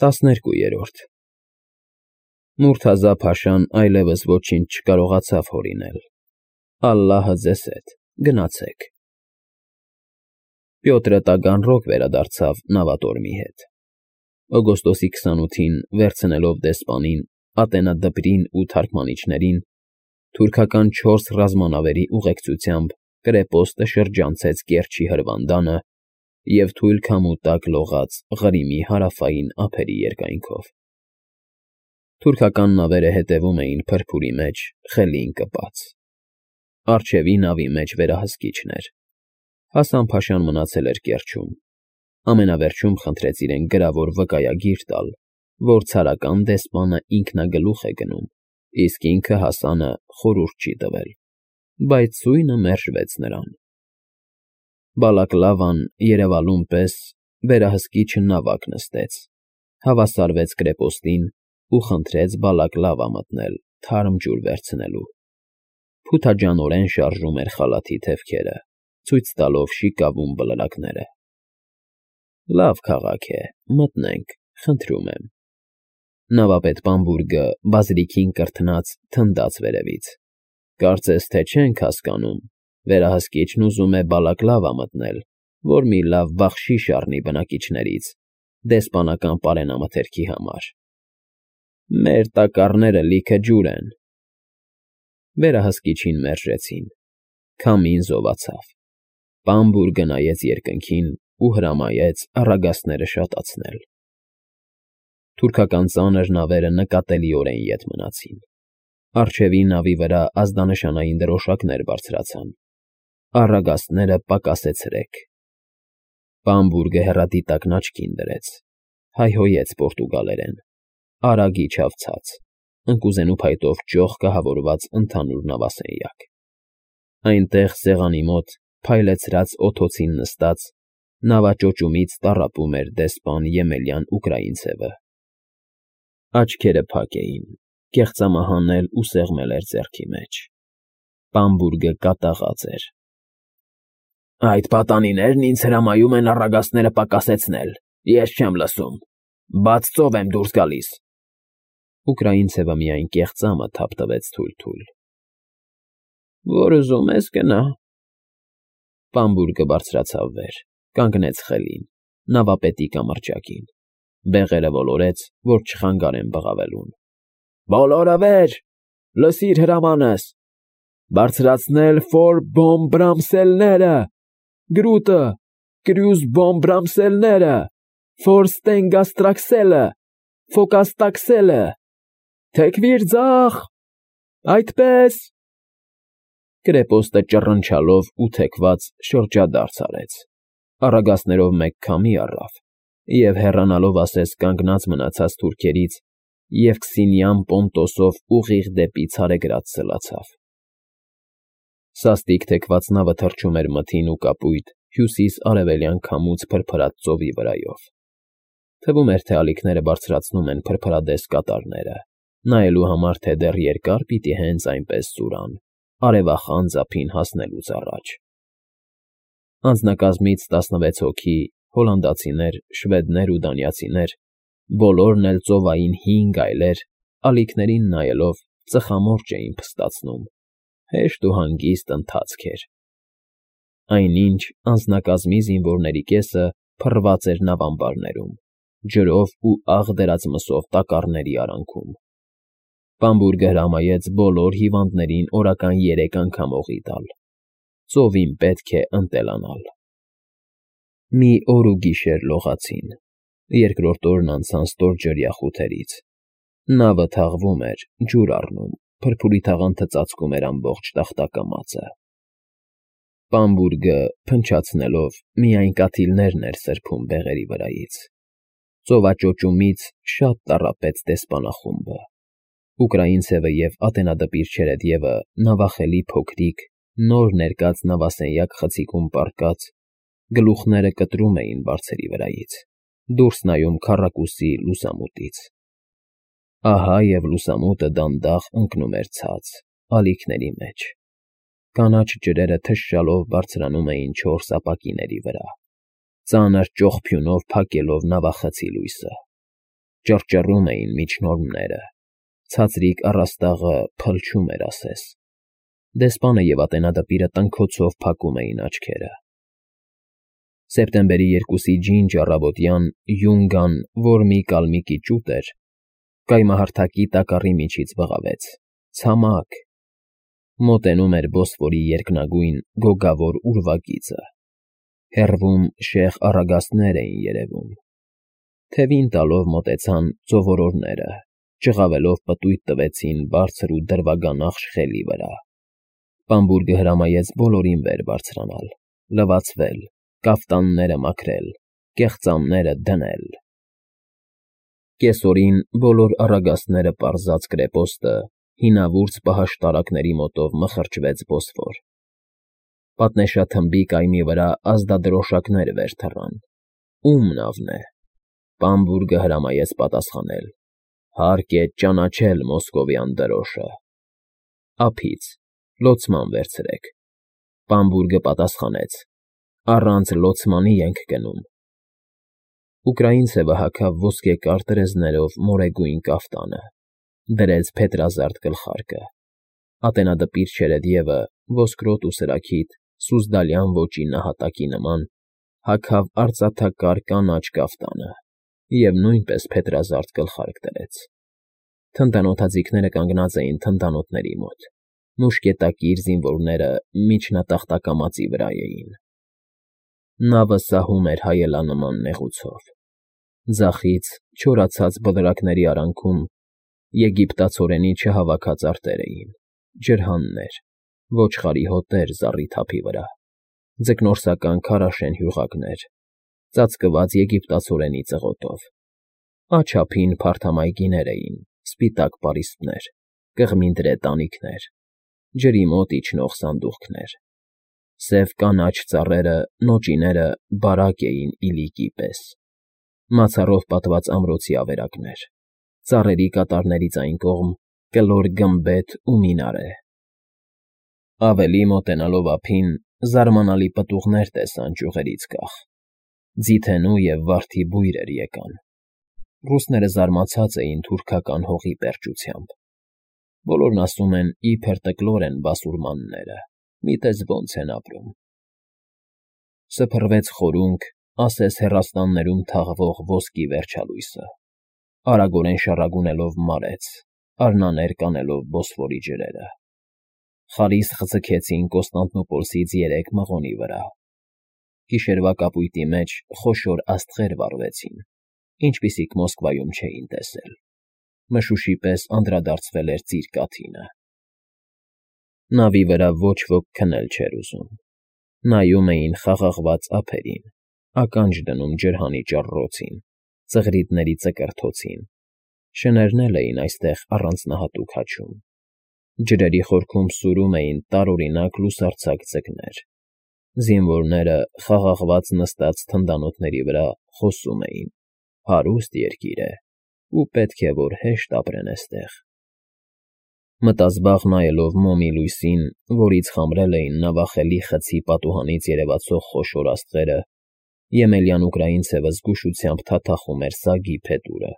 12 Մուրթազա փաշան այլևս ոչինչ չկարողացավ հորինել։ Ալլահը ձեզ հետ, գնացեք։ Պյոտրը տագանրոք վերադարձավ նավատորմի հետ։ Օգոստոսի 28-ին վերցնելով դեսպանին, ատենադպրին ու թարգմանիչներին, թուրքական 4 ռազմանավերի ուղեկցությամբ Կրեպոստը շրջանցեց Կերչի հրվանդանը և թույլ քամու տակ լողաց Ղրիմի հարավային ափերի երկայնքով։ Թուրքական նավերը հետևում էին փրփուրի մեջ, խելին կպած։ Առջևի նավի մեջ վերահսկիչն էր։ Հասան փաշան մնացել էր Կերչում։ Ամենավերջում խնդրեց իրեն գրավոր վկայագիր տալ, որ ցարական դեսպանը ինքնագլուխ է գնում, իսկ ինքը Հասանը խորհուրդ չի տվել, բայց ծույնը մերժվեց նրան։ Բալակլավան երևալուն պես վերահսկիչը նավակ նստեց, հավասարվեց Կրեպոստին ու խնդրեց բալակլավա մտնել թարմ ջուր վերցնելու։ Փութաջանորեն շարժում էր խալաթի թևքերը, ցույց տալով շիկավուն բլրակները։ Լավ քաղաք է, մտնենք, խնդրում եմ։ Նավապետ Բամբուրգը բազրիքին կրթնած թնդաց վերևից։ Կարծես թե չենք հասկանում, վերահսկիչն ուզում է բալակլավա մտնել, որ մի լավ բախշիշ առնի բնակիչներից, դեսպանական պարենամթերքի համար։ Մեր տակառները լիքը ջուր են։ Վերահսկիչին մերժեցին։ Քամին զովացավ։ Բամբուրգը նայեց երկնքին ու հրամայեց առագաստները շատացնել։ Թուրքական ծանր նավերը նկատելիորեն ետ մնացին։ Առջևի նավի վրա ազդանշանային դրոշակներ բարձրացան։ Առագաստները պակասեցրեք։ Բամբուրգը հեռադիտակն աչքին դրեց, հայհոյեց պորտուգալերեն, արագ իջավ ցած, ընկուզենու փայտով ճոխ կահավորված ընդհանուր նավասենյակ։ Այնտեղ սեղանի մոտ, փայլեցրած օդոցին նստած, նավաճոճումից տառապում էր դեսպան Եմելյան Ուկրաինցևը։ Աչքերը փակ էին, կեղծամահանել ու սեղմել էր ձեռքի մեջ։ Բամբուրգը կատաղած էր։ Այդ պատանիներն ինձ հրամայում են առագաստները պակասեցնել, ես չեմ լսում, բաց ծով եմ դուրս գալիս։ Ուկրաինցևը միայն կեղծամը թափտվեց թույլ։ Որ ուզում ես գնա։ Բամբուրգը բարձրացավ վեր, կանգնեց խելին, նավապետի կամրջակին, բեղերը ոլորեց, որ չխանգարեն բղավելուն։ Բոլորը վեր, լսիր հրամանս, բարձրացնել ֆոր բոմբրամսելները, գրուտը, կրյուզ բոմբրամսելները, ֆոր ստենգաստրաքսելը, ֆոկաստաքսելը, թեքվիր ձախ, այդպես։ Կրեպոստը ճռնչալով ու թեքված շրջադարձ արեց, առագաստներով մեկ քամի առավ և հեռանալով ասես կանգնած մնացած թուրքերից և Քսինիան Պոնտոսով ուղիղ դեպի Ցարեգրադ սլացավ։ Սաստիկ թեքված նավը թռչում էր մթին ու կապույտ հյուսիս֊արևելյան քամուց փրփրած ծովի վրայով։ Թվում էր, թե ալիքները բարձրացնում են փրփրադես կատարները, նայելու համար, թե դեռ երկար պիտի հենց այնպես սուրան, արևախան ձափին հասնելուց առաջ։ Անձնակազմից 16 հոգի, հոլանդացիներ, շվեդներ ու դանիացիներ, բոլորն էլ ծովային 5 գայլեր, ալիքներին նայելով ծխամորճ էին փստացնում, հեշտ ու հանգիստ ընթացք էր։ Այնինչ անձնակազմի զինվորների կեսը փռված էր նավամբարներում, ջրով ու աղ դրած մսով տակառների արանքում։ Բամբուրգը հրամայեց բոլոր հիվանդներին օրական 3 անգամ օղի տալ։ Ծովին պետք է ընտելանալ։ Մի օր ու գիշեր լողացին, երկրորդ օրն անցան ստորջրյա խութերից։ Նավը թաղվում էր, ջուր առնում, փրփուրի թաղանթը ծածկում էր ամբողջ տախտակամածը։ Բամբուրգը, փնչացնելով, միայն կաթիլներն էր սրբում բեղերի վրայից։ Ծովաճոճումից շատ տառապեց դեսպանախումբը։ Ուկրաինցևը և ատենադպիր Չերեդևը նավախելի փոքրիկ, նոր ներկած նավասենյակ խցիկում պառկած, գլուխները կտրում էին բարձերի վրայից, դուրս նայում քառակուսի լուսամուտից։ Ահա և լուսամուտը դանդաղ ընկնում էր ցած, ալիքների մեջ։ Կանաչ ջրերը թշշալով բարձրանում էին 4 ապակիների վրա, ծանր ճոխփյունով փակելով նավախցի լույսը։ Ճռճռում էին միջնորմները, ցածրիկ առաստաղը փլչում էր ասես, դեսպանը և ատենադպիրը տնքոցով փակում էին աչքերը։ Սեպտեմբերի 2-ի ջինջ առավոտյան Յունգան, որ մի կալմիկի ճուտ էր, կայմահարթակի տակառի միջից բղավեց. ցամաք, մոտենում էր Բոսֆորի երկնագույն գոգավոր ուրվագիծը, հեռվում շեղ առագաստներ էին երևում, թևին տալով մոտեցան ծովորորները, ճղավելով պտույտ տվեցին բարձր ու դրվագանախշ խելի վրա։ Բամբուրգը հրամայեց բոլորին վեր բարձրանալ, լվացվել, կաֆտանները մաքրել, կեղծամները դնել։ Կեսօրին բոլոր առագաստները պարզած կրեպոստը հինավուրց պահաշտարակների մոտով մխրճվեց Բոսֆոր։ Պատնեշաթմբի կայմի վրա ազդադրոշակներ վեր թռան։ Ում նավն է։ Բամբուրգը հրամայեց պատասխանել. հարկ է ճանաչել մոսկովյան դրոշը։ Ափից, լոցման վերցրեք։ Բամբուրգը պատասխանեց. առանց լոցմանի ենք գնում։ Ուկրաինցևը հագավ ոսկե կարտրեզներով մորեգույն կաֆտանը, դրեց փետրազարդ գլխարկը, ատենադպիր չերեդիևը ոսկրոտ ու սրաքիթ սուզդալյան ոճի նահատակի նման հագավ արծաթակար կանաչ կաֆտանը և նույնպես փետրազարդ գլխարկ դրեց։ Թնդանոթաձիգները կանգնած էին թնդանոթների մոտ, մուշկետակիր զինվորները միջնատախտակամածի վրա էին։ Նավը սահում էր հայելանման նեղուցով։ Ձախից, չորացած բլրակների արանքում եգիպտացորենի չհավաքած արտեր էին, ջրհաններ, ոչխարի հոտեր զառիթափի վրա, ձկնորսական քարաշեն հյուղակներ, ծածկված եգիպտացորենի ծղոտով։ Աչափին փարթամայգիներ էին, սպիտակ պարիսպներ, կղմինդրե տանիքներ, ջրի մոտ իջնող սանդուղքներ։ Սև կանաչ ծառերը, նոճիները բարակ էին իլիկի պես, մացառով պատված ամրոցի ավերակներ, ծառերի կատարներից այն կողմ կլոր գմբեթ ու մինարե։ Ավելի մոտենալով ափին զարմանալի պտուղներ տեսան ճյուղերից կախ, ձիթենու և վարդի բույրեր եկան։ Ռուսները զարմացած էին թուրքական հողի պերճությամբ։ Բոլորն ասում են, իբր տկլոր են բասուրմանները, միտես ոնց են ապրում։ Սփռվեց խորունկ, ասես հեռաստաններում թաղվող ոսկի վերջալույսը, արագորեն շառագունելով մարեց, արնաներ կանելով Բոսֆորի ջրերը։ Խարիսխ ձգեցին Կոստանդնուպոլսից 3 մղոնի վրա։ Գիշերվա կապույտի մեջ խոշոր աստղեր վառվեցին, ինչպիսիք Մոսկվայում չէին տեսել։ Մշուշի պես անդրադարձվել էր ծիր կաթինը։ Նավի վրա ոչ ոք քնել չէր ուզում։ Նայում էին խաղաղված ափերին, ականջ դնում ջրհանի ճառռոցին, ծղրիդների ծկրթոցին։ Շներն էլ էին այստեղ առանձնահատուկ հաչում։ Ջրերի խորքում սուրում էին տարօրինակ լուսարձակ ձկներ։ Զինվորները խաղաղված նստած թնդանոթների վրա խոսում էին. հարուստ երկիր է, ու պետք է, որ հեշտ ապրեն էստեղ։ Մտազբաղ նայելով մոմի լույսին, որից խամրել էին նավախելի խցի պատուհանից երևացող խոշոր աստղերը, Եմելյան ուկրաինցևը զգուշությամբ թաթախում էր սագի փետուրը,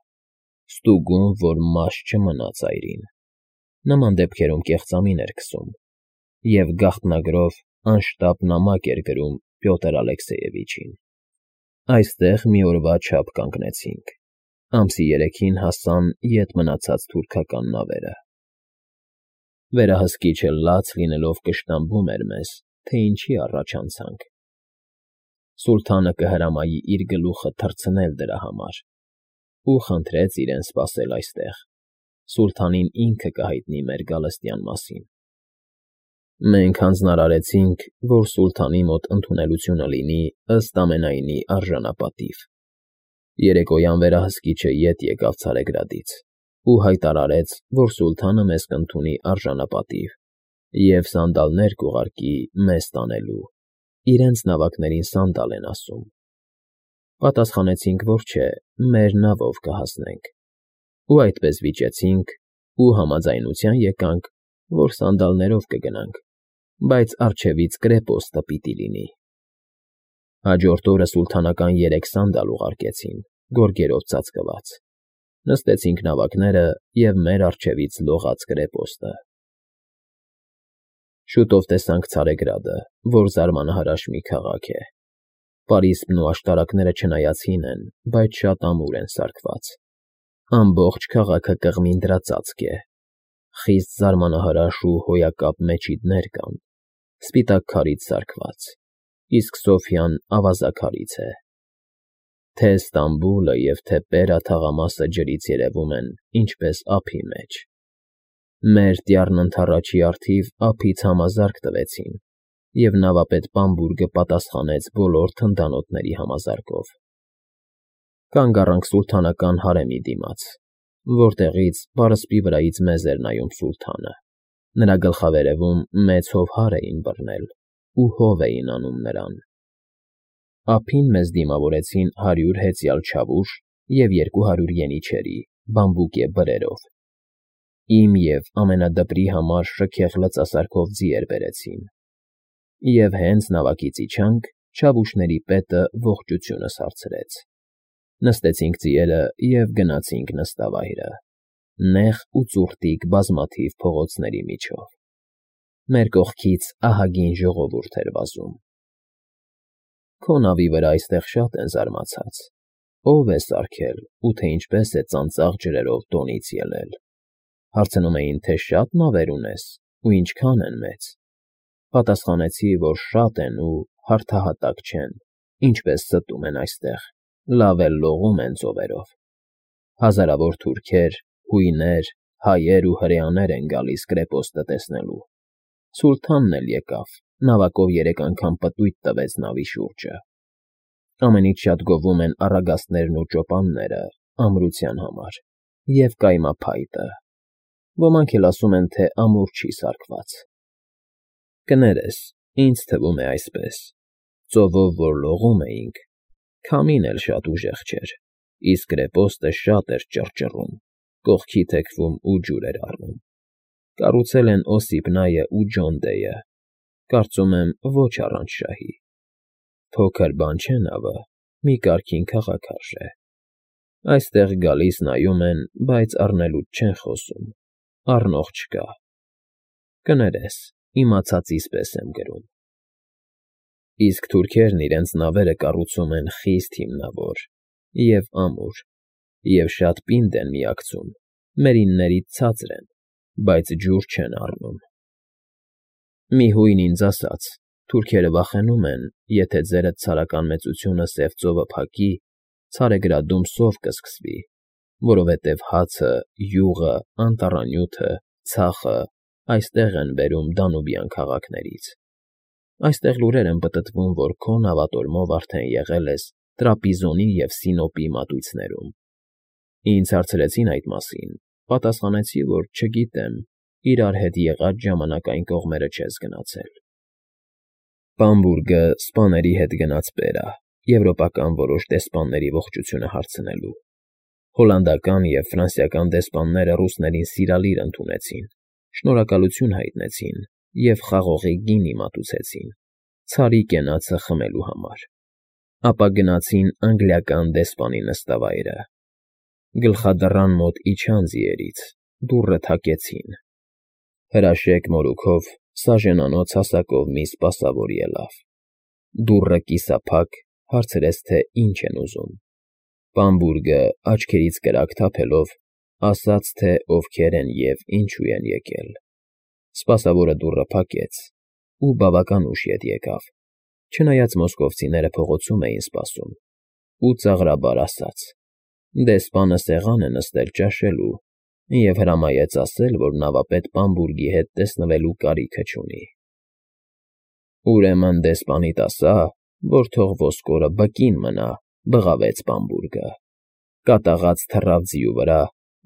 ստուգում, որ մաշ չմնա ծայրին։ Նման դեպքերում կեղծամին էր քսում և գաղտնագրով անշտապ նամակ էր գրում Պյոտր Ալեքսեյևիչին։ Այստեղ մի օրվա չափ կանգնեցինք։ Ամսի 3-ին հասան ետ մնացած թուրքական նավերը։ Վերահսկիչը լաց լինելով կշտամբում էր մեզ, թե ինչի առաջ անցանք։ Սուլթանը կհրամայի իր գլուխը թռցնել դրա համար ու խնդրեց իրեն սպասել այստեղ։ Սուլթանին ինքը կհայտնի մեր գալստյան մասին։ Մենք հանձնարարեցինք, որ սուլթանի մոտ ընդունելությունը լինի ըստ ամենայնի արժանապատիվ։ Երեկոյան վերահսկիչը ետ եկավ Ցարեգրադից ու հայտարարեց, որ սուլթանը մեզ կընդունի արժանապատիվ և սանդալներ կուղարկի մեզ տանելու։ Իրենց նավակներին սանդալ են ասում։ Պատասխանեցինք, որ չէ, մեր նավով կհասնենք։ Ու այդպես վիճեցինք ու համաձայնության եկանք, որ սանդալներով կգնանք, բայց առջևից կրեպոստը պիտի լինի։ Հաջորդ օրը սուլթանական 3 սանդալ ուղարկեցին, գորգերով ծածկված։ Նստեցինք նավակները և մեր առջևից լողաց կրեպոստը։ Շուտով տեսանք Ցարեգրադը, որ զարմանահրաշ մի քաղաք է։ Պարիսպն ու աշտարակները չնայած հին են, բայց շատ ամուր են սարքված։ Ամբողջ քաղաքը կղմին դրածածկ է։ Խիստ զարմանահրաշ ու հոյակապ մեջիդներ կան, սպիտակ քարից սարքված, իսկ Սոֆյան ավազաքարից է։ Թե Ստամբուլը և թե Պերա թաղամասը ջրից երևում են, ինչպես ափի մեջ։ Մեր տյառն ընդառաջի առթիվ ափից համազարկ տվեցին, և նավապետ Բամբուրգը պատասխանեց բոլոր թնդանոթների համազարկով։ Կանգ առանք սուլթանական հարեմի դիմաց, որտեղից պարսպի վրայից մեզ էր նայում սուլթանը։ Նրա գլխավերևում մեծ հովհար էին բռնել ու հով էին անում նրան։ Ափին մեզ դիմավորեցին 100 հեծյալ չավուշ և 200 ենիչերի, բամբուկե բրերով։ Իմ և ամենադպրի համար շքեղ լծասարքով ձիեր բերեցին։ Եվ հենց նավակից իջանք, չավուշների պետը ողջությունս հարցրեց։ Նստեցինք ձիերը և գնացինք նստավայրը, նեղ ու ծուռտիկ բազմաթիվ փողոցների միջով։ Մեր կողքից ահագին ժողովուրդ էր վազում։ Քո նավի վրա այստեղ շատ են զարմացած. ով է սարքել ու թե ինչպես է ծանծաղ ջրերով տոնից ելել։ Հարցնում էին, թե շատ նավեր ունես ու ինչքան են մեծ։ Պատասխանեցի, որ շատ են ու հարթահատակ չեն, ինչպես ստում են այստեղ, լավ էլ լողում են ծովերով։ Հազարավոր թուրքեր, հույներ, հայեր ու հրեաներ են գալիս կրեպոստը տեսնելու։ Սուլթանն էլ եկավ, նավակով 3 անգամ պտույտ տվեց նավի շուրջը։ Ամենից շատ գովում են առագաստներն ու ճոպանները ամրության համար և կայմափայտը։ Ոմանք էլ ասում են, թե ամուր չի սարքված։ Կներես, ինձ թվում է այսպես. ծովով որ լողում էինք, քամին էլ շատ ուժեղ չէր, իսկ կրեպոստը շատ էր ճռճռում, կողքի թեքվում ու ջուր էր առնում։ Կառուցել են Օսիպ Նայը ու Ջոն Դեյը, կարծում եմ, ոչ առանց շահի։ Փոքր բան չէ նավը, մի կարգին քաղաք արժե։ Այստեղ գալիս նայում են, բայց առնելուց չեն խոսում, առնող չկա։ Կներես, իմացածիս պես եմ գրում։ Իսկ թուրքերն իրենց նավերը կառուցում են խիստ հիմնավոր և ամուր, և շատ պինդ են միակցում, մերիններից ցածր են, բայց ջուր չեն առնում։ Մի հույն ինձ ասաց. թուրքերը վախենում են, եթե ձերդ ցարական մեծությունը Սև ծովը փակի, Ցարեգրադում սով կսկսվի, որովհետև հացը, յուղը, անտառանյութը, ցախը այստեղ են բերում Դանուբյան քաղաքներից։ Այստեղ լուրեր են պտտվում, որ քո նավատորմով արդեն եղել ես Տրապիզոնի և Սինոպի մատույցներում։ Ինձ հարցրեցին այդ մասին, պատասխանեցի, որ չգիտեմ, իրար հետ եղած ժամանակ այն կողմերը չես գնացել։ Բամբուրգը սպաների հետ գնաց Պերա, եվրոպական որոշ դեսպանների ողջությունը հարցնելու։ Հոլանդական և ֆրանսիական դեսպանները ռուսներին սիրալիր ընդունեցին, շնորհակալություն հայտնեցին և խաղողի գինի մատուցեցին, ցարի կենացը խմելու համար։ Ապա գնացին անգլիական դեսպանի նստավայրը։ Գլխադռան մոտ իջան ձիերից, դուռը թակեցին։ Հրաշեկ մորուքով, սաժենանոց հասակով մի սպասավոր ելավ։ Դուռը կիսափակ, հարցրեց, թե ինչ են ուզում։ Բամբուրգը, աչքերից կրակ թափելով, ասաց, թե ովքեր են և ինչու են եկել։ Սպասավորը դուռը փակեց ու բավական ուշ ետ եկավ, չնայած մոսկովցիները փողոցում էին սպասում, ու ծաղրաբար ասաց. դեսպանը սեղան է նստել ճաշելու և հրամայեց ասել, որ նավապետ Բամբուրգի հետ տեսնվելու կարիքը չունի։ Ուրեմն դեսպանիդ ասա, որ թող ոսկորը բկին մնա, բղավեց Բամբուրգը, կատաղած թռավ ձիու վրա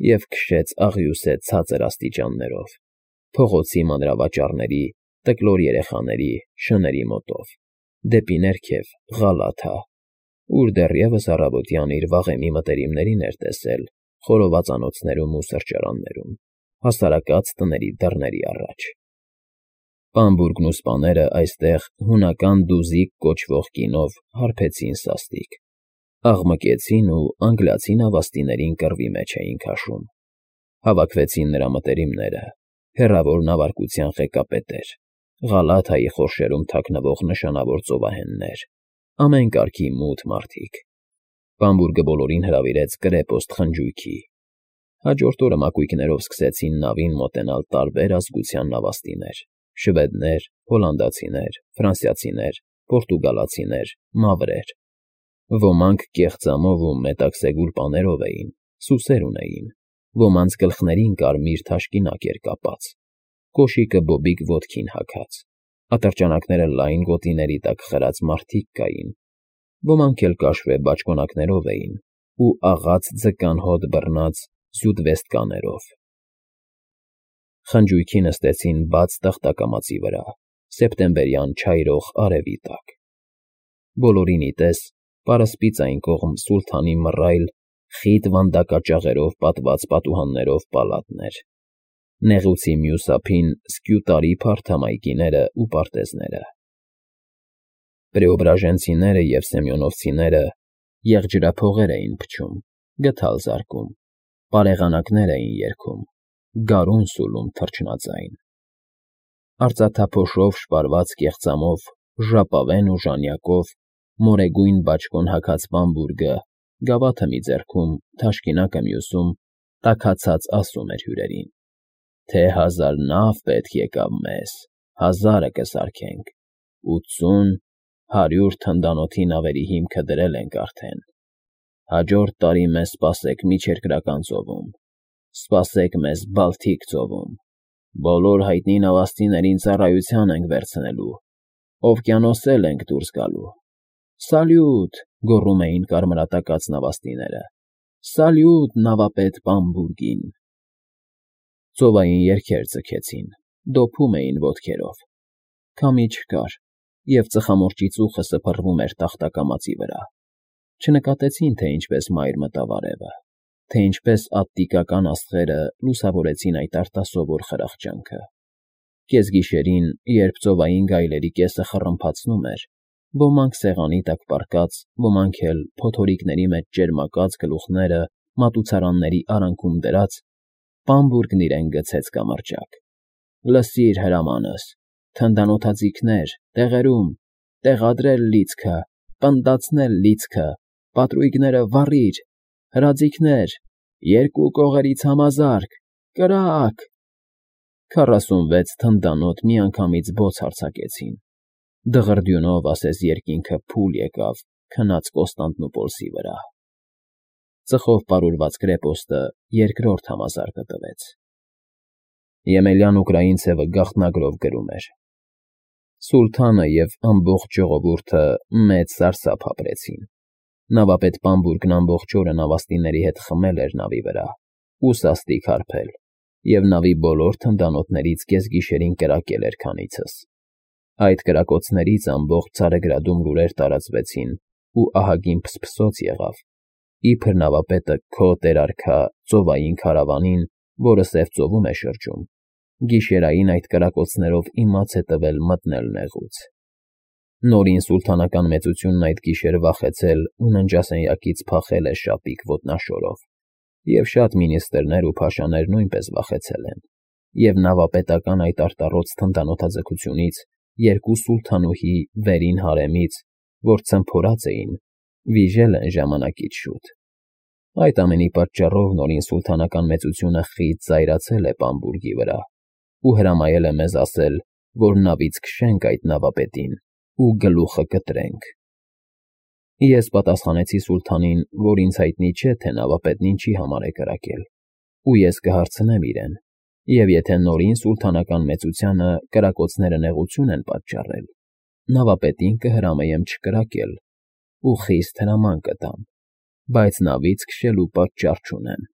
և քշեց աղյուսե ցածր աստիճաններով, փողոցի մանրավաճառների, տկլոր երեխաների, շների մոտով, դեպի ներքև Ղալաթա, ուր դեռևս առավոտյան իր վաղեմի մտերիմներին էր տեսել խորովածանոցներում ու սրճարաններում, հասարակած տների դռների առաջ։ Բամբուրգն ու սպաները այստեղ հունական դուզիկ կոչվող գինով հարբեցին սաստիկ, Աղմկեցին ու անգլիացի նավաստիներին կռվի մեջ էին քաշում։ Հավաքվեցին նրա մտերիմները, հեռավոր նավարկության ղեկապետեր, Ղալաթայի խորշերում թաքնվող նշանավոր ծովահեններ, ամեն կարգի մութ մարդիկ։ Բամբուրգը բոլորին հրավիրեց կրեպոստ խնջույքի։ Հաջորդ օրը մակույկներով սկսեցին նավին մոտենալ տարբեր ազգության նավաստիներ՝ շվեդներ, հոլանդացիներ, ֆրանսիացիներ, պորտուգալացիներ, մավրեր։ Ոմանք կեղծամով ու մետաքսեգուլ պաներով էին, սուսեր ունեին, ոմանց գլխներին կարմիր թաշկինակ էր կապած, կոշիկը բոբիկ ոտքին հագած, ատրճանակները լայն գոտիների տակ խրած մարդիկ կային, ոմանք էլ կաշվե բաճկոնակներով էին ու աղաց ձկան հոտ բռնած զյուդվեստկաներով։ Խնջույքի նստեցին բաց տախտակամածի վրա, սեպտեմբերյան չայրող արևի տակ։ Բոլորին ի տես պարսպից այն կողմ սուլթանի մռայլ, խիտ վանդակաճաղերով պատված պատուհաններով պալատներ, նեղուցի մյուս ափին սկյուտարի փարթամայկիները ու պարտեզները։ Պրեոբրաժենցիները և սեմյոնովցիները եղջրափողեր էին փչում, գդալ զարկում, պարեղանակներ էին երգում, գարուն սուլում թռչնաձայն։ Արծաթափոշով շպարված կեղծամով, ժապավեն ու ժանյակով, մորեգույն բաճկոն հագած Բամբուրգը, գավաթը մի ձեռքում, թաշկինակը մյուսում, տաքացած ասում էր հյուրերին, թե 1000 նավ պետք եկավ մեզ, 1000-ը կսարքենք, 80, 100 թնդանոթի նավերի հիմքը դրել ենք արդեն։ Հաջորդ տարի մեզ սպասեք Միջերկրական ծովում, սպասեք մեզ Բալթիկ ծովում, բոլոր հայտնի նավաստիներին ծառայության ենք վերցնելու, օվկիանոսել ենք դուրս գալու։ Սալյուտ, գոռում էին կարմրատակած նավաստիները, սալյուտ նավապետ Բամբուրգին։ Ծովային երգեր ձգեցին, դոփում էին ոտքերով։ Քամի չկար, և ծխամորճի ծուխը սփռվում էր տախտակամածի վրա։ Չնկատեցին, թե ինչպես մայր մտավ արևը, թե ինչպես ատտիկական աստղերը լուսավորեցին այդ արտասովոր խրախճանքը։ Կեսգիշերին, երբ ծովային գայլերի կեսը խռմփացնում էր, ոմանք սեղանի տակ պառկած, ոմանք էլ փոթորիկների մեջ ճերմակած գլուխները մատուցարանների արանքում դրած, Բամբուրգն իրեն գցեց կամրջակ։ Լսիր հրամանս, թնդանոթաձիգներ, տեղերում, տեղադրել լիցքը, պնդացնել լիցքը, պատրույգները վառիր, հրաձիգներ, երկու կողերից համազարկ, կրակ։ 46 թնդանոթ միանգամից բոց արձակեցին։ Դղրդյունով ասես երկինքը փուլ եկավ քնած Կոստանդնուպոլսի վրա։ Ծխով պարուրված կրեպոստը երկրորդ համազարկը տվեց։ Եմելյան ուկրաինցևը գաղտնագրով գրում էր. Սուլթանը և ամբողջ ժողովուրդը մեծ սարսափ ապրեցին։ Նավապետ Բամբուրգն ամբողջ օրը նավաստիների հետ խմել էր նավի վրա ու սաստիկ հարբել, և նավի բոլոր թնդանոթներից կեսգիշերին կրակել էր քանիցս։ Այդ կրակոցներից ամբողջ Ցարեգրադում լուրեր տարածվեցին ու ահագին փսփսոց եղավ, իբր նավապետը քո տերարքա ծովային քարավանին, որը Սև ծովում է շրջում, գիշերային այդ կրակոցներով իմաց է տվել մտնել նեղուց։ Նորին սուլթանական մեծությունն այդ գիշեր վախեցել ու ննջասենյակից փախել է շապիկ ոտնաշորով, և շատ մինիստրներ ու փաշաներ նույնպես վախեցել են, և նավապետական այդ արտառոց թնդանոթաձգությունից երկու սուլթանուհի վերին հարեմից, որ ցմփորած էին, վիժել են ժամանակից շուտ։ Այդ ամենի պատճառով նորին սուլթանական մեծությունը խիտ զայրացել է Բամբուրգի վրա ու հրամայել է մեզ ասել, որ նավից քշենք այդ նավապետին ու գլուխը կտրենք։ Ես պատասխանեցի սուլթանին, որ ինձ հայտնի չէ, թե նավապետն ինչի համար է կրակել, ու ես կհարցնեմ իրեն, և եթե նորին սուլթանական մեծությանը կրակոցները նեղություն են պատճառել, նավապետին կհրամայեմ չկրակել ու խիստ հրաման կտամ, բայց նավից քշելու պատճառ չունեմ։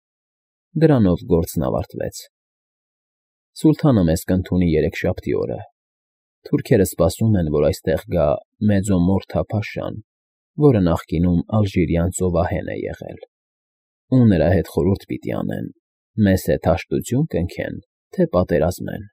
Դրանով գործն ավարտվեց։ Սուլթանը մեզ կընդունի երեքշաբթի օրը։ Թուրքերը սպասում են, որ այստեղ գա Մեծոմորթա փաշան, որը նախկինում ալժիրյան ծովահեն է եղել, ու նրա հետ խորհուրդ պիտի անեն, մեզ հետ հաշտություն կնքեն, թե պատերազմեն։